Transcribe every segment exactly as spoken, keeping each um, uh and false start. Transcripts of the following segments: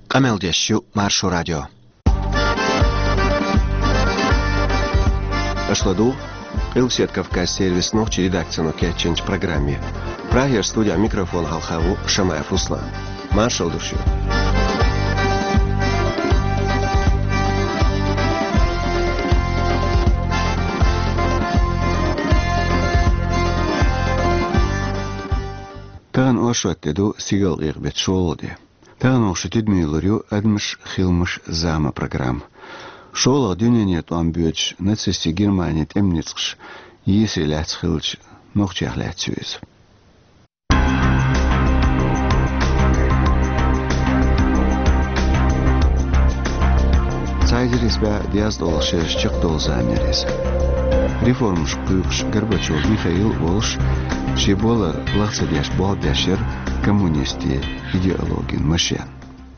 Къамел деш ю Маршо радио. Аша ладугӀу Къилбаседа Кавказ сервисан нохчийн редакцино кечйинчу программе. Прагера студехь микрофон хьалха ву Шамаев Руслан. Маршалла ду шуьга. Тахана оршот де ду, стигалкъекъа беттан шолгӀа де. Тахана вай шун тидаме лур ю «Адамаш, хиламаш, зама» программа. ШолгӀа дуьненан тӀом боьдуш нацистийн Германин тӀеман ницкъаша йийсаре лаьцна хиллачу нохчех лаьцна ю иза. Цхьа эзар исс бӀе дезткъе долу шераш чекхдолу зама яра иза. Реформаш кхуьйкхуш Горбачев Михаил а волуш, шен болар лаха ца деш болх беш яра коммунистийн идеологин машен.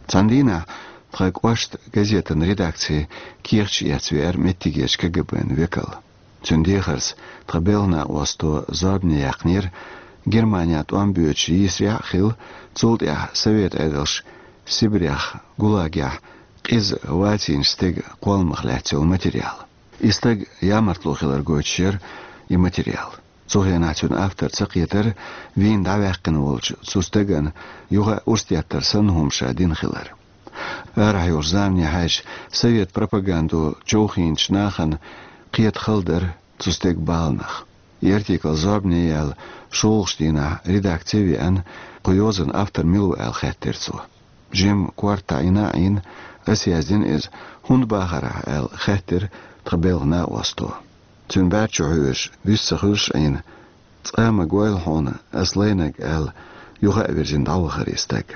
Цхьана дийнахь тхан кӀоштан газетан редакцин кехаташ эцна веара меттигерчу КГБ-н векал. Цуьнан дехарца тхан белхан накъосто зорбане яьккхинера Германехь тӀом боьдуш йийсарехь а хилла, цул тӀаьхьа Совет Ӏедалша Сибрех, ГУЛАГехь къиза вацийначу стеган кхолламах лаьцна йолу материал. И стаг ямартло хилар гойтуш яра и материал. Цу хенахь цуьнан автор ца кхетара вийна дӀаваьккхина волчу цу стагана юха а урс деттар санна хӀума ша дина хилар. Арахь йолчу заманехь хьаьжча, совет пропагандо човхийначу нахана кхета хала дара цу стеган баланах. И артикл зорбане яьлла шолгӀачу дийнахь редакци веана, кху йозанан автор мила ву аьлла хаьттира цо. Жимма корта Ӏийна а Ӏийна, аса яздина иза, хӀунда бахара ахь аьлла хаьттира тхан белхан накъосто. Цуьнан бӀаьрчо хьоьжуш, вуьсса ца хуьлуш Ӏийна, цкъа а ма гойла хьуна ас лайнарг аьлла, юха а вирзина дӀавахара и стаг.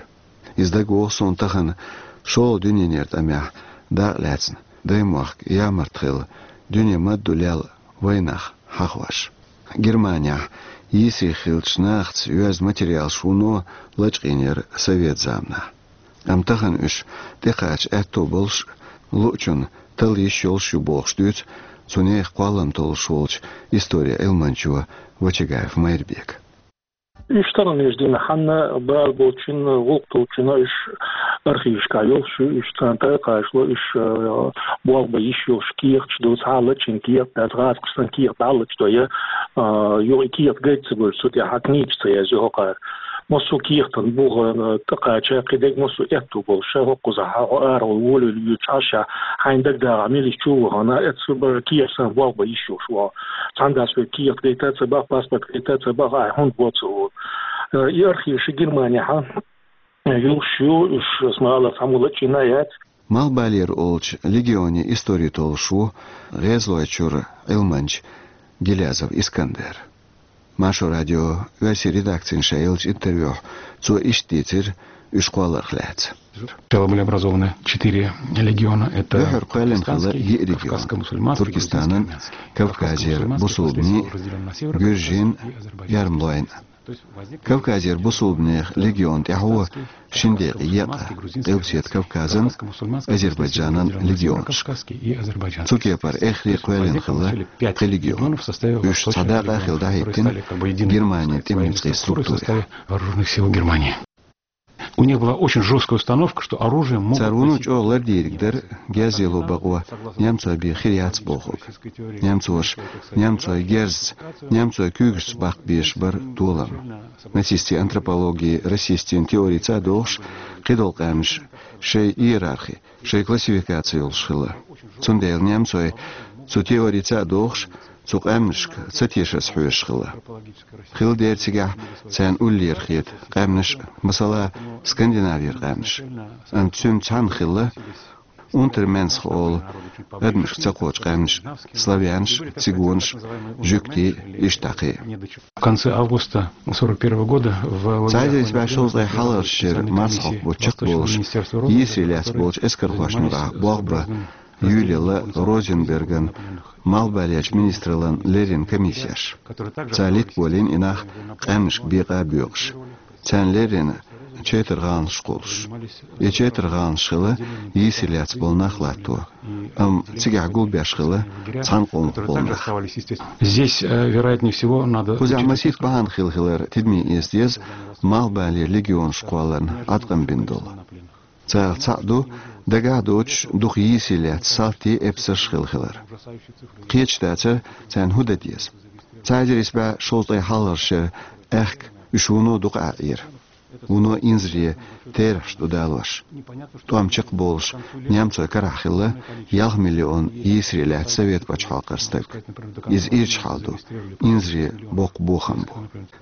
Иза дагавогӀу суна тахана шолгӀа дуьненан тӀамехь дакъа лаьцна, даймохк ямарта хилла, дуьне ма-дду лелла вайнах хьахош. Германехь йийсаре хиллачу нахаца йоьзна материалаш вуно лачкъийна яра совет заманахь. Амма тахана уьш тӀекхача аьтто болуш, луучунна талла йиш йолуш ю бохуш дуьйцу цу нехан кхоллам толлуш волчу историн Ӏилманчо Вачагаев Майрбека. Уьш тахана уьш дина, хьанна бала болчунна, гӀуллакх долчунна уьш архивашкахь йолуш ю, уьш царна тӀекхачало, уьш, а, болх бан йиш йолуш кехаташ ду, цхьа а лачкъийна кехат дац, гӀазкхаша санна кехат дӀа а лачкъадой, а, юха и кехат гайта ца гойтуш, цу тӀехь книгаш ца язйо хӀокхара. Массо а кехатан буха, а, тӀекхача, кхидерг массо а аьтто болуш, хӀокхузахь хьо арахула волавелла воьдуш Ӏаш, хьайна дагадогӀу мила чу а вахана, эццу бара кехат санна болх бан йиш йолуш ву. Цхьана дас вай кехат гайта а ца боху, паспорт гайта а ца боху, ахь хӀунда бо ца олу. Э, и архиваш Германехь йолуш ю, уьш, ас ма аллара, цхьаммо лачкъийна а яц. Малхбалера олучу легионан истори толлуш ву ГӀезалойчуьра Ӏилманча Гилязов Искандер. Маршо радион оьрсийн редакцина ша еллачу интервьюхь цо иштта дийцира уьш кхолларх лаьцна. Сначала были образованы четыре легиона. Это Юьхьара кхоьллина хилла Туркестанский, йиъ регион: Кавказско-мусульманский, Туркестанан, Грузинский, Армянский. Кавказера Кавказско-мусульманский бусулбанийн, впоследствии был разделён на северо-кавказский и Гуьржийн, азербайджанский. Ярмлойн. Кавказера бусулбанех легион тӀаьхьо шина декъе екъна Къилбаседа Кавказан, Азербайджанан легионаш. Цу кепара эххар а кхоьллина хилла пхи легион. Уьш цхьа дакъа а хилла дӀахӀиттина Германин тӀеман ницкъийн структурехь. Вооружённых сил Германии. У них была очень жёсткая установка, что оружие могут носить... Цара вуно чӀогӀа лардийриг дара герз лело бакъо немцойн бен хир яц бохург. Немцоша немцойн герзца, немцойн куьйгашца баккха безаш бара толам. Нацистийн антропологи расистийн теорица а догӀуш, кхидолу къаьмнаш шайн иерархи, шайн классификаци йолуш хилла. Цундела немцой цу теорица а догӀуш, цу къаьмнашка ца тешарца хьоьжуш хилла. Хилла дера цигахь царна уллера хета къаьмнаш, масала, Скандинавера къаьмнаш. Амма цуьнца цхьаьна хилла Унтерменсх олу адамашка ца кхочу къаьмнаш, славянаш, цигонаш, жуьгтий, иштта кхин а. В конце августа сорок первого года в лагерях... Цхьа эзар исс бӀе шовзткъе хьалхарчу шеран марсхьокху бутт чекхболуш, йийсаре лаьцна болчу эскархошна юкъахь болх бан юьйлаелла Розенберган малхбалерчу министраллан леррина комиссеш. Цара литта болийна и нах къаьмнашка бекъа а боькъуш. Царна леррина четар гӀаланаш кхуллуш. И четар гӀаланаш хилла йийсаре лаьцна болу нах латто, амма цигахь гулбеш хилла цхьана къомах болу нах. Здесь, э, вероятнее всего, надо учитывать... Кхузахь масийтта бахьана хилла хилар тидаме эца деза, малхбалера легионаш кхолларна Ӏаткъам бина долу. Царах цхьаъ ду дагахь доцуш дукха йийсаре лаьцна салтий, эпосаш хилла хилар. Кхеташ дацара, царна хӀун дан деза. Цхьа эзар исс бӀе шовзткъе хьалхарчу шеран аьхка уьш вуно дукха Ӏаьхьира. Вуно инзаре терахьаш ду далош. ТӀом чекхболуш немцойн карахь хилла ялх миллион йийсаре лаьцна Совет пачхьалкхера стаг. Иза ирча хьал ду, инзаре боккха бохам бу.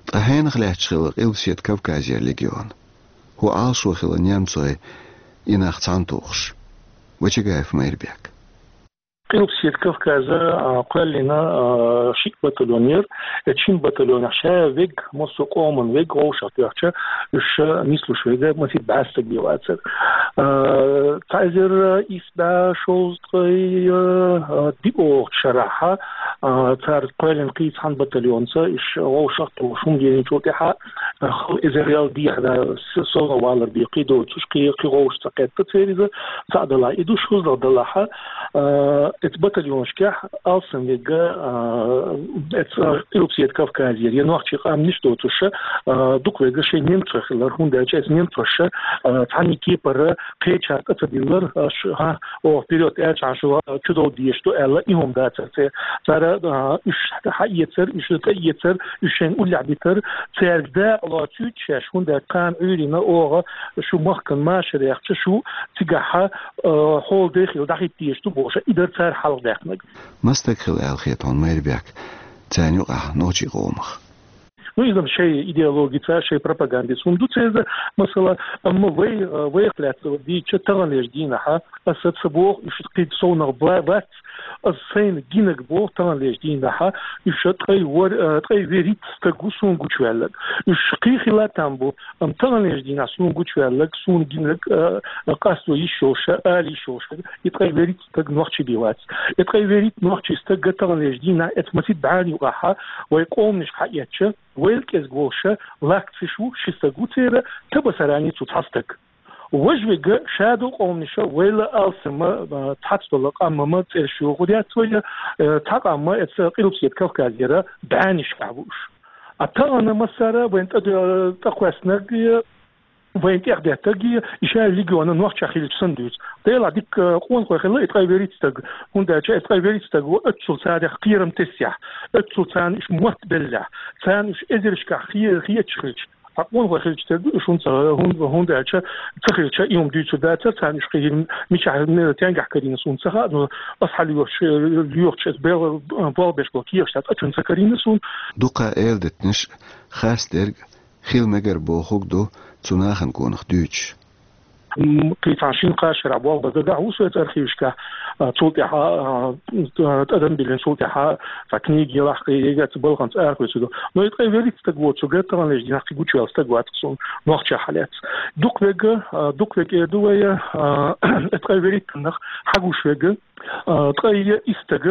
Ткъа хьенах лаьтташ хилла Къилбаседа Кавказера легион? ХӀун Ӏалашо хилла немцойн и нах цхьаьна тухуш? Вачагаев Майрбек. Къилбаседа Кавказа, а, кхоьллина, а, шиъ батальон яра. Эцу шина батальонехь ша вега, массо а къоман вега, вовшах тоьхча, уьш ша нислуш вега, масийтта бӀаьстаг бен вацара. А, цхьа эзар исс бӀе шовзткъе, а, диъ оха шарахь, а, цара кхоьллина кхин цхьана батальонца, уьш вовшах тухуш хӀума дийцинчул тӀаьхьа, а, хала эзарел дехьа, да, с-, совгӀат валар бен кхин доцуш, кхин, кхин вовшах ца кхетта церан иза, цхьаъ далахь и ду, шозлагӀа далахь, а, эцу батальонашкахь алсам вега, а, эцу, а, Къилбаседа Кавказера, я нохчий къаьмнаш доцуш, а, дукха вега шайн немцой хилар, хӀунда аьлча эцу немцоша, а, цхьанна кепара кхечарна тӀе ца диллар, аш, хьан, оха вперёд аьлча, хьан шу, а, чудовла дезаш ду аьлла, и хӀума дацара церан. Цара, а, уьш хьаэцар, уьш тӀеэцар, уьш шайна уллехь битар, цаьрга дакъа лоцуьйту шаьш, хӀунда аьлча кхана Ӏуьйранна оха шу махкана машар яьхча, шу цигахь, а, хьолдехила дӀахӀитта дезаш ду бохуш, и дара цара хьалхадаьккхинарг. Маса стаг хилла аьлла хета хьуна, Майрбек, царна юкъахь нохчийн къомах? Ну, иза-м шайн идеологица, шайн пропагандица хӀума ду церан, масала, амма вай, а, вайх лаьцна дийцича, таханлерчу дийнахьа, аса ца боху, уьш кхин совнах ба-, бац, аса сайна гинарг боху, таханлерчу дийнахьа, уьш ткъе вар-, а, ткъе вуьрхӀитта стаг ву суна гучуваьлларг. Уьш кхин хила там бу, амма таханлерчу дийнахь суна гучуваьлларг, суна гинарг, а, къасто йиш йолуш, ала йиш йолуш, и ткъе вуьрхӀитта стаг нохчи бен вац. И ткъе вуьрхӀитта нохчи стаг таханлерчу дийнахь эцу масийтта бӀенна юкъахьа вай къоманашка хьаэцча, вайл кӀезиг волуша лакциш ву, ши стаг ву церан, табасарани цу цхьа стаг. Важа вега шадолу къоманаша вайла алсама, а, цхьацдолу къаммама цӀераш йохур яц вайна, э, цхьа къамма эца Къилбаседа Кавказера бӀеннашкахь ву уьш. А тахана массара вайн тӀе-, тӀекхоьссинарг, вайн тӀехдеттарг и ша легиона нохча хилча санна дуьйцу. Делахь дика къонахой хилла и ткъе вуьрхӀитта стаг, хӀунда аьлча и ткъе вуьрхӀитта стаг ву оццул царах кхерам тесехь, оццул царна уьш мотт беллехь, царна уьш эзаршкахь хе-, хеташ хилча. Ткъа къонахой хилча тера ду уьш, хӀунда ца, хӀунда, хӀунда аьлча ца хилча, и хӀума дуьйцур дацара, царна уьш кхин мичахь, ме-, тенгахь карийна суна ца хаьа, но ас хьалоьхуш, лоьхучу ас бел-, болх беш болу кехаш дац, а чун ца карийна суна. Дукха эладитанаш хастдерг хила мегар бохург ду цу нахана гонах дуьйцуш. М, кхин цхьана шина-кхаа шарахь болх бан дагахь ву соьца архивашкахь, а, цул тӀаьхьа, а, тӀадам биллина, цул тӀаьхьа цхьа книга елахь, кхин егаца балханца арахоьцур ду. Но и ткъе вуьрхӀитта стаг воцург таханлерчу дийнахь кхин гучуваьлла стаг вац-кх суна нохча хьалаьцна. Дукха вега, а, дукха вега эр ду вай, а, и ткъе вуьрхӀиттаннах хьагуш вега, а, ткъе исс стаг,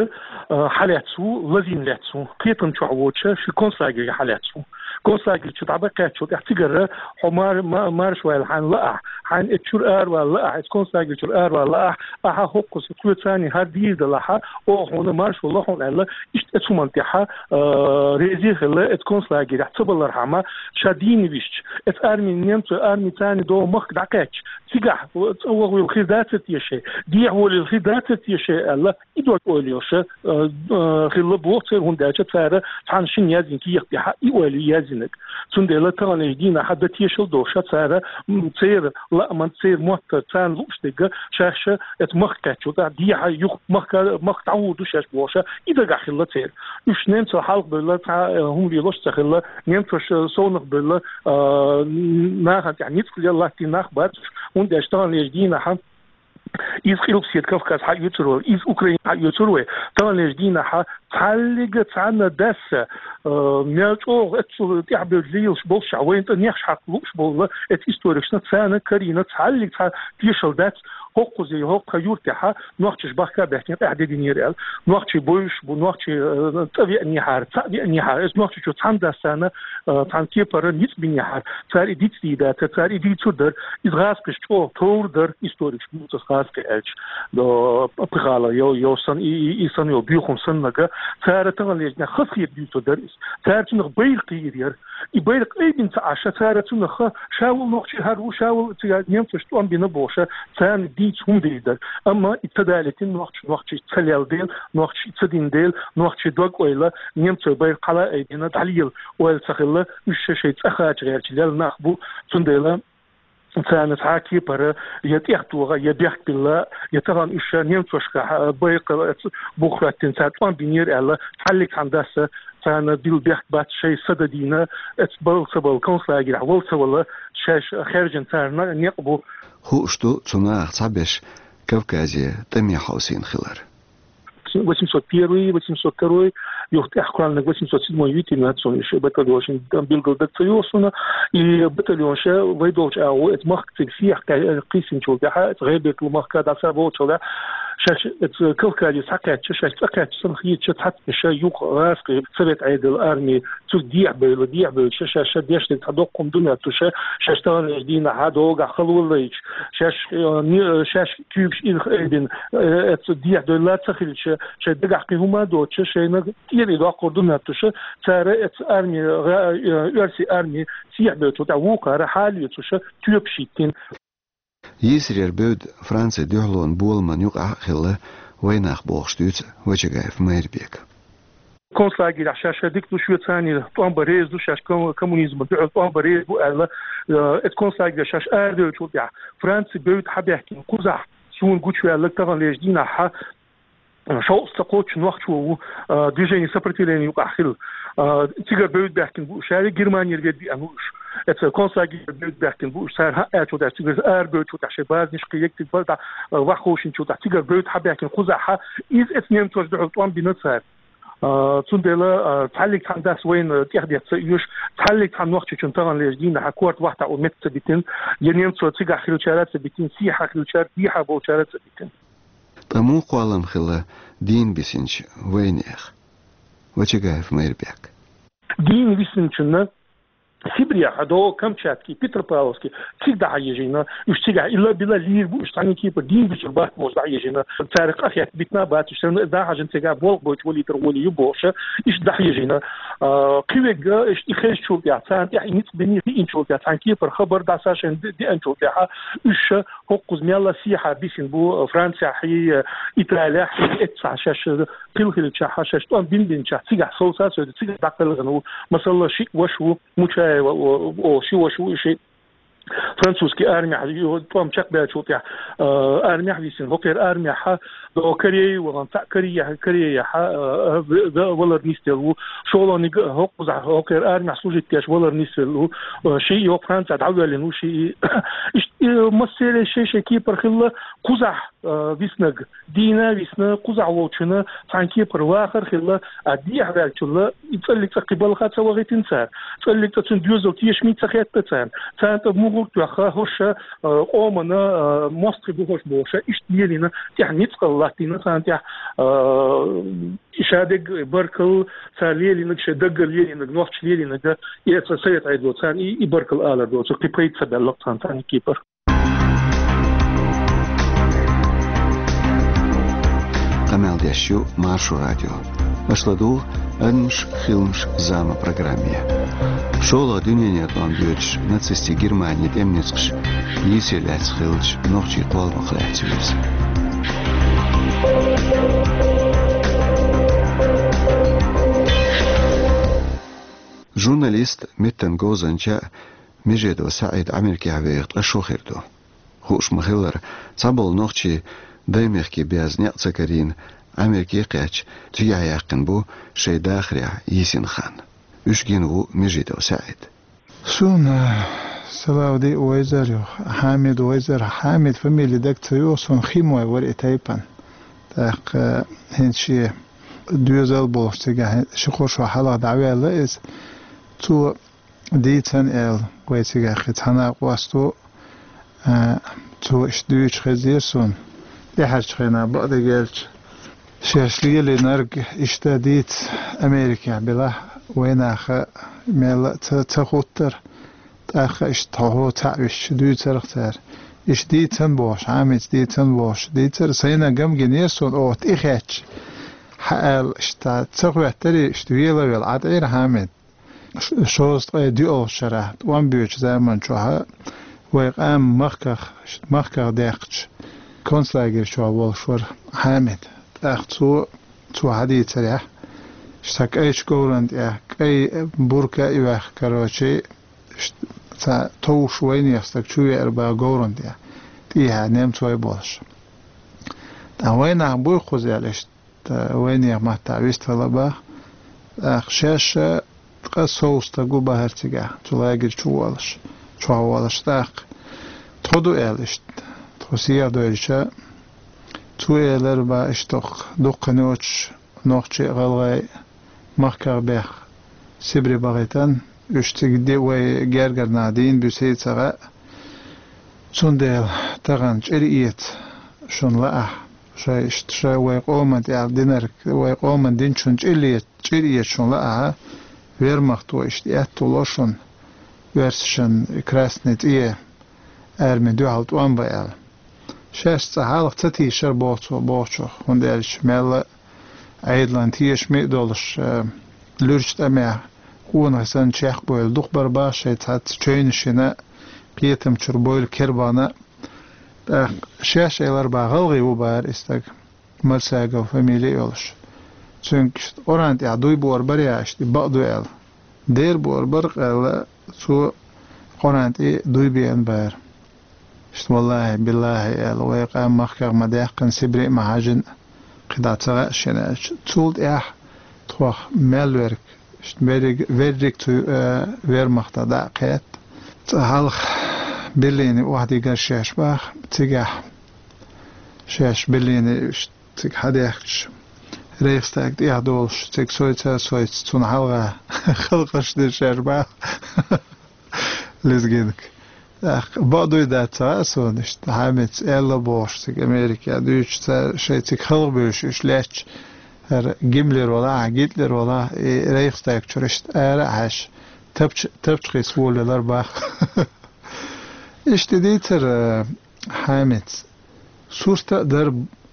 а, хьалаьцна ву, лазийна лаьцна ву, кхетам чохь воцуша ши концлагере хьалаьцна ву. Концлагерчу дӀабаккхаьччул тӀаьхьа цигара хьо мар-, ма-, марша ваьлла хьайна лаахь, хьайна эцу чуьра аравала лаахь, эцу концлагерчуьра аравала лаахь, ахьа хӀокхуза тхоьца цхьаьна хӀара дийр далахьа, оха хьуна маршо ло хьуна аьлла, иштта эцу хӀуманна тӀехьа, а, реза хилла, эцу концлагерехь ца балархьама, ша дийна висча, эцу армин немцойн арми царна догӀу махка дӀакхаьчча, цигахь цӀа ваха вилла хир дацар те шайн, дехьа волийла хир дацар те шайн аьлла, и дог ойла йолуша, а, а, хилла боху церан, хӀунда аьлча цара цхьана шина яздина кехат тӀехьа и ойла ю яздинарг. Цундела таханлерчу дийнахьа дан тешалла долуша цара, м, церан лааман, церан моттар, царна лууш дерг, шаьш эцу махка кхаьччул тӀаьхьа дехьа юха махка, махка дӀагӀур ду шаьш бохуша, и дагахь хилла церан. Уьш немцал хьалха бевлла цхьа, а, хӀума лелош ца хилла, немцоша совнах бевлла, а, нахана тӀехь ницкъ лелла латтийна нах бац уьш, хӀунда аьлча таханлерчу дийнахьа иза Къилбаседа Кавказ хьаоьцур вай, иза Украина хьаоьцур вай. Таханлерчу дийнахьа цхьаллига цхьанна дасса, а, мел чӀогӀа эццул тӀаьхьабевлла лелаш болуш, вайна тӀе нехаш хьакха лууш болла, эцу историкашна царна карийна цхьаллига цхьа тешалла дац, ХӀокхуза, хӀокху юртехьа нохчаш бахка баьхкина къаьхьа де динера аьлла. Нохчий бовзаш бу, нохчий, э, цӀа веанехьара, цхьаъ веанехьара. Эс нохчий чу цхьана дассана, э, цхьана кепара ницкъ бинехьара. Цара и дицдийдацара, цара и дийцур дара. Иза гӀазкхиш чӀогӀа товр дара, историкаш буцас гӀазкхи аьлча. До пхихала, йо, йо сан, и, и, и сан йо, бюхум саннага. Цара таханлежна хас хир дийцур дара иза. Цара цунах байракх кхийр яра. И байракх айбина ца Ӏаша, цара цунах ха, шавал нохчий хӀара ву, шавал цига немцаш тӀом бина боша, царна дийца хӀума дийр дара. Амма и ца далитин нохча, нохчий ца лел дела, нохчий ца дин дела, нохчий дог ойла, немцой байракх хьала айбина, дӀалийла ойла ца хилла, уьш ша шай цӀа хача гӀерча лел нах бу, цундела царна цхьа кепара я тӀехтоха, я бехк билла, я тахана уьш ша немцошка, а, байракх бух хӀоттина цара тӀом бинера аьлла, цхьаллиг цхьана дасса, царна билла бехк бац шай сада дийна, эц бал ца бал, концлагерь вал ца вала, шаьш хержина царна некъ бу. Хууш ду, цу нахах цхьаберш Кавказе тӀаме хьовсийна хилар. Восемьсот первый, восемьсот второй, юха тӀехь кхоьллинарг восемьсот седьмой, витин нацон иши батальон шин там билгал даг ца йохсуна, и батальон ша вай долчу агӀо, эц махка цига сехьа кхийсинчул тӀаьхьа, эц гӀайбекла махка дӀаса волчул тӀаьхьа, шаьш эц Кавказе схьакхаьчча, шаьш цӀа кхаьчча санна хетча, цхьацца ша юкъа гӀазкхи совет Ӏедал арми цуьнга дехьабевлла, дехьабевлла, ша, ша, ша дешниг цхьа доккхум ду моьтту ша, шаьш таханлерчу дийнахьа догахь халваллайча, шаьш, э, ни-, шаьш куьйгаш ирх айбина, э, эца дехьадевлла ца хилча, шайн дагахь кхин хӀума а доцуша, шайна тӀера и доккхур ду моьтту ша, цара эца арми, гӀа-, э, оьрсийн арми сехьабевллачул тӀаьхьа вукхара хьалоьцуша тоьпаш йиттина. Йийсарера бевдда Францин дуьхьалонан боламан юкъахь а хилла вайнах, бохуш дуьйцу Вачагаев Майрбека. Концлагерехь шаьш ша дика ду, Швейцарин тӀом бан реза ду, шаьш ком-, коммунизман дуьхьал тӀом бан реза бу аьлла, э, эца концлагерехь шаьш арадевллачул тӀаьхьа Францин бевдда хьабаьхкина кхузахь суна гучуваьлларг таханлерчу дийнахьа, э, шовзткъа ца кхоччуш нохчо ву, э, движение сопротивления юкъахь хилла. Э, цигара бевдда баьхкина бу уьш, ша Германера ведда веана ву уьш. Эца концлагерера бевдда баьхкина бу уьш, цара хӀаъ аьллачул тӀаьхьа, цигара арабевллачул тӀаьхьа шайн базанаш кхин егг цига бара дӀа, э, вахховшинчул тӀаьхьа, цигара бевдда хьабаьхкина кхузахьа, иза эца немцоша дуьхьал тӀом бина цара. А, цундела, а, цхьаллиг цхьана дас вайна тӀехдетта ца оьшу, цхьаллиг цхьана нохчочун таханлерчу дийнахьа корта вахтахь у метта ца битина, я немцо цигахь хилчара ца битина, сехьа хилчара, дехьа болчара ца битина. Ткъа муха кхоллам хилла дийна бисинчу вайнехан? Вачагаев Майрбек. Дийна висинчунна Сибрехь а до Камчатки, Петропавловски, цига дӀахьаежийна, уьш цигахь илла-билла лийр бу, уьш цхьаьна кепара дийна бисур бац бохуш дӀахьаежийна, цара къахетта битина бац уьш, санна дӀахьажина цигахь болх бойтуш валийтар волий ю бохуша, иштта дӀахьаежийна. А, кхин верг, иштта и хезачул тӀаьхьа, царна тӀехь и ницкъ бина хиъначул тӀаьхьа, цхьаьна кепара хабар дӀаса шайна де-, деанчул тӀаьхьа, уьш ша хӀокхуза мелла сехьа бисина бу, Францехь, Италехь, эццахь шаьш хилла хилчахьа, шаьш тӀом бина бинчахь, цигахь совца а совца, цигахь дӀакхелхина ву, масала, шиъ ваша ву, Мучаева, о, о, ши ваша ву и шиъ. Французский армехь, ю-, тӀом чекхбаьллачул тӀаьхьа, э, армехь висина, хӀокхеран армехьа, до Корея вахана, цхьаъ Корея-, Кореяхьа, э, в-, в-, валар нисделла ву, шолгӀаниг хӀокхузахь, хӀокхеран армехь служить деш валар нисделла ву, э, шиъ йо Францехь дӀавоьллина ву, шиъ и, иштта, э, массеран шай-шай кепара хилла, кхузахь, э, виснаг, дийна висна, кхузахь волчунна цхьаьна кепара вахар хилла, а дехьаваьллачунна и цӀаллиг цӀа кхин балха ца вахийтина цара. ЦӀаллиг цӀа цуьнан доьзал тешаме ца хетта царна. Царна тӀе мухӀар тоьхна, хӀорш, э, къомана, э, мостагӀий бу хӀорш бохуша, иштта лелийна, тӀехь ницкъала латтийна царна тӀехь, э, шадерг баркалла, цара лелийнарг, шайн даггара лелийнарг, нохчаша лелийнарг, и цхьа совет Ӏедало царна и, и баркалла алар доцург, кхин пайда ца баьлла-кх царна цхьаьна кепара. Къамел деш ю Маршо радио. Аша ладугӀу «Адамаш, хиламаш, зама» программе. ШолгӀа дуьненан тӀом боьдуш нацистийн Германин тӀеман ницкъаш йийсаре лаьцна хиллачу нохчийн кхолламах лаьцна ю иза. Журналист, меттан говзанча Межидов СаӀид Ӏамеркехь веха ткъа шо хир ду. Хууш ма-хиллара, цхьаболу нохчий даймехкан беза некъ ца карийна, Ӏамерке а кхаьчна, цигахь яьккхина бу шайн дахарехь йийсина хан. Уьш гина ву Межидов СаӀид. Суна Салавди вайзар ю, Хьамид вайзар, Хьамид фамили даг ца йогӀу, суна хин вай вара и тайпана. ТӀаккха хӀинца шен доьзал болуш цигахь ши-кхо шо хьалха дӀаваьлла иза. Цо дийцина аьлла, вай цигахь кхин цхьа накъост ву, а, цо Цо иштта дуьйцуш хезира суна, тӀаьхьарчу хенахь бакъдерг аьлча, шаьш лелийнарг иштта дийца Америкехь белахь, вайнаха мелла а ца, ца хуттара, тӀаккха иштта хьо-хьо цхьаъ висча дуьйцарх цара. Иштта дийцан бохуш, Хьамица дийцан бохуш, дийцар, сайна гам гинера суна, оха тӀехаьчча, хьаала, иштта ца хоьттарий, иштта вела а велла, Ӏа тӀера Хьамид. Ш-, шовзткъе диъолгӀачу шарахь, тӀом боьдучу заман чохь, вай къам махках, махках даьккхича, концлагерь чохь волуш вара Хьамид. ТӀаккха цо, цо хьадийцарехь, сан кӀайчу говран тӀехь, кӀай бурка а йоьхна, короче, ш-, цхьа товш вайнех стаг чу веара баха говран тӀехь, тӀехьа немцой болуш. Ткъа вайнах буй кхуза аьлла, иштта Т-, вайнех маттахь вистхила баха. ТӀаккха шаьш а ткъа сов стаг ву бахара цигахь, цу лагерь чу волуш, чохь волуш тӀаккха. Тхо ду аьлла иштта, тхо сехьа доьжча, цо элира баха иштта дуккха йоцуш нохчий а, гӀалгӀай а махках бехк Сибре бахийтан, уьш цига де вай гергара нах дийна буьсий ца хаьа. Цундела тахана чӀир эца шуна лаахь, шай иштта, шай вай къоман тӀехь динарг, вай къоман динчун чӀир эца, чӀир эца шуна лаахь, вермахто иштта аьтто ло шуна, оьрсашан Красный цӀе арми дуьхьал тӀом бан аьлла. Шаьш цкъа хьалха ца тийшара боху цо бохучух, хӀунда аьлча мелла а Ӏедалан тешаме а долуш, э, луьрачу тӀамехь къонахий санна чекхбевлла дукха бара баха шайн цхьацца чевнаш йина, кхетам чуьра бевлла кербана. ТӀаккха шаьш элира баха гӀалгӀа ву бахара и стаг, Мальсагов фамили а йолуш. Цуьнга иштта Къуръан тӀехь дуй бора бара я иштта и бакъ ду аьлла. Дера бора бара къаьлла, цо Къуръан тӀе дуй беана бара. Иштта, валлахӀи, биллахӀи аьлла, вай къам махках ма даьккхина, Сибре а ма хьаьжжина, кхидӀа ца хаьа шена аьлча. Цул тӀаьхьа тхох мел верг, иштта верриг, верриг цу, э, вермахта дӀа а кхетта. Цкъа хьалха Берлине охьадигара шаьш баха, цигахь шаьш Берлине иштта цига хьадаьхкича, Рейхстаг тӀехь долуш, цига сойца а сойца, цунна хьалха халкъаш дира шаьш баха. Лезгинка. ТӀаккха бакъ дуй дац ца хаьа суна иштта, Хьамица аьлла бохуш цига Америка дуьйцуш цара шайн цига халхабуьйш уьш лаьтташ, хӀара Гиммлер валахь, Гитлер валахь, и Рейхстаг чуьра иштта ара а хьаьжча, тапча-, тапча хиса волавелар баха. Иштта дийцара, э, Хьамица. Сурта а дара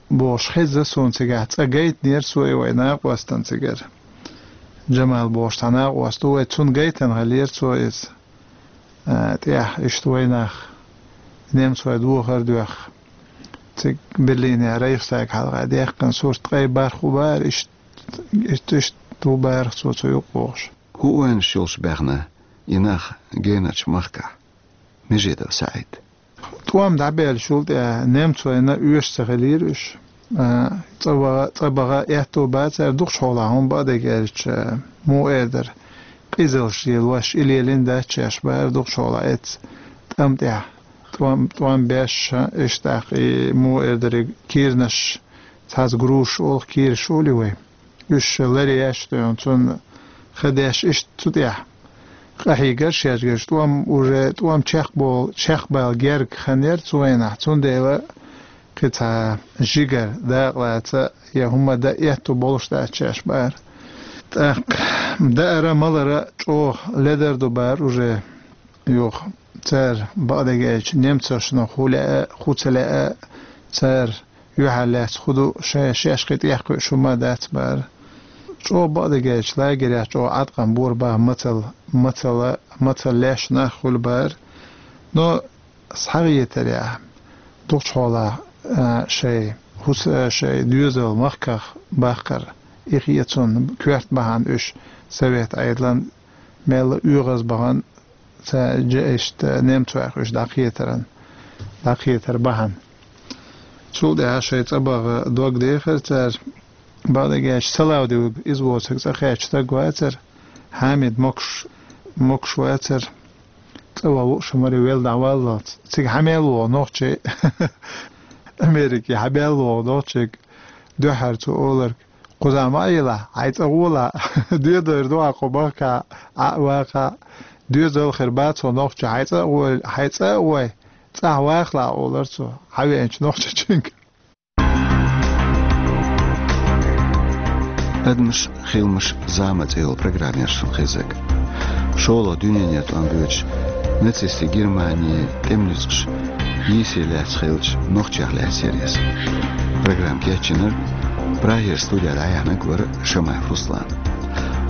бохуш хеза суна цигахь, цкъа гайтинера цо и вай накъостан цигара. Джамал бохуш цхьа накъост ву вай, цунна гайтина хиллера цо иза. А, тӀехь иштта вайнах немцой дохар а доьхна, цига Берлинехь Рейхстаг хьалха даьккхина сурт ткъе бархӀ ву бара, иштта, иштта, иштта ву бара цо цу юкъа вогӀуш. ХӀун ойланаш йолуш баьхна и нах генарчу махкахь? Межидов СаӀид. ТӀом дӀабаьллачул тӀаьхьа немцойна оьшуш ца хиллера уьш. А, цӀа ваха, цӀа баха аьтто бацара дукхачу хьолахь, хӀума бакъдерг аьлча, муха эр дара, къизалш лелош, и лелийна дац шаьш бара дукхачу хьолахь эцца тӀам тӀехь. ТӀом, тӀом беш, иштта тӀаккха и муха эр дара, и киранаш, цхьацца грушаш олу, киранаш олий вай. Уьш ларъеш а дуьйна, цунна ха деш иштта цу тӀехь къахьийгара шаьш герш, тӀом уже, тӀом чекхбол-, чекхбала герга хан яра цу вайнахь, цундела кхин цхьа жигара дакъалаца я хӀума дан этту болуш дац шаьш бара. ТӀаккха даара, малара чӀогӀа ледар ду бара уже юха. Цара бакъдерг аьлча, немцошна хӀу лаьа, хӀу ца лаьа, цара юьхьар лаьцна хӀу ду, шайн шаьш кхин тӀехь кхуьуш хӀума дац бара. ЧӀогӀа бакъдерг аьлча, лагерехь чӀогӀа Ӏаткъам бора баха мацалла, мацалла, мацалла леш нах хуьлу бара. Но схьагӀетарехь, дукхачу хьолахь, а, шайн хӀус-, а, шайн доьзал махках баккхар, и хетар цунна коьрта бахьана уьш Совет Ӏедалан мелла оьгӀаз бахана, ца жа иштта немцойх уьш дӀакхетаран, дӀакхетар бахьана. Цул тӀаьхьа шайн цӀа баха дог дехира цара, бакъдерг аьлча, Салавдиев иза воцург цӀа кхаьчча стаг вацара, Хьамид могуш, могуш вацара, цӀа ван лууш а маре велла дӀаваллалц. Цига хьан мел вогӀу нохчий? Америке хьан мел вогӀу нохчий? Дуьххьара цо олург, кхузахь ма а елахь, хьайн цӀа гӀолахь, доьдойр ду хьан кху махкахь, Ӏа а ваккхахь, доьзал хир бац хьо нохча, хьайн цӀа а гӀой, хьайн цӀа а гӀой, ЦӀахь вахалахь, олар цо, хьавеанчу нохчичуьнга. «Адамаш, хиламаш, зама» цӀе йолу программа яра шуна хезнарг. ШолгӀа дуьненан тӀом боьдуш, нацистийн Германин тӀеман нуьцкъаш йийсаре лаьцна хиллачу нохчех лаьцна яра иза. Программа кечйинарг, Прагера студехь дӀаяьхьнарг вара Шамаев Руслан.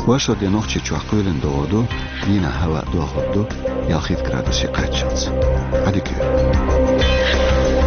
Вайшилла де Нохчийчохь кхоьлина догӀур ду, дийнахь хӀаваъ дохур ду ялхитта градусе кхаччалц. Ӏадика йойла.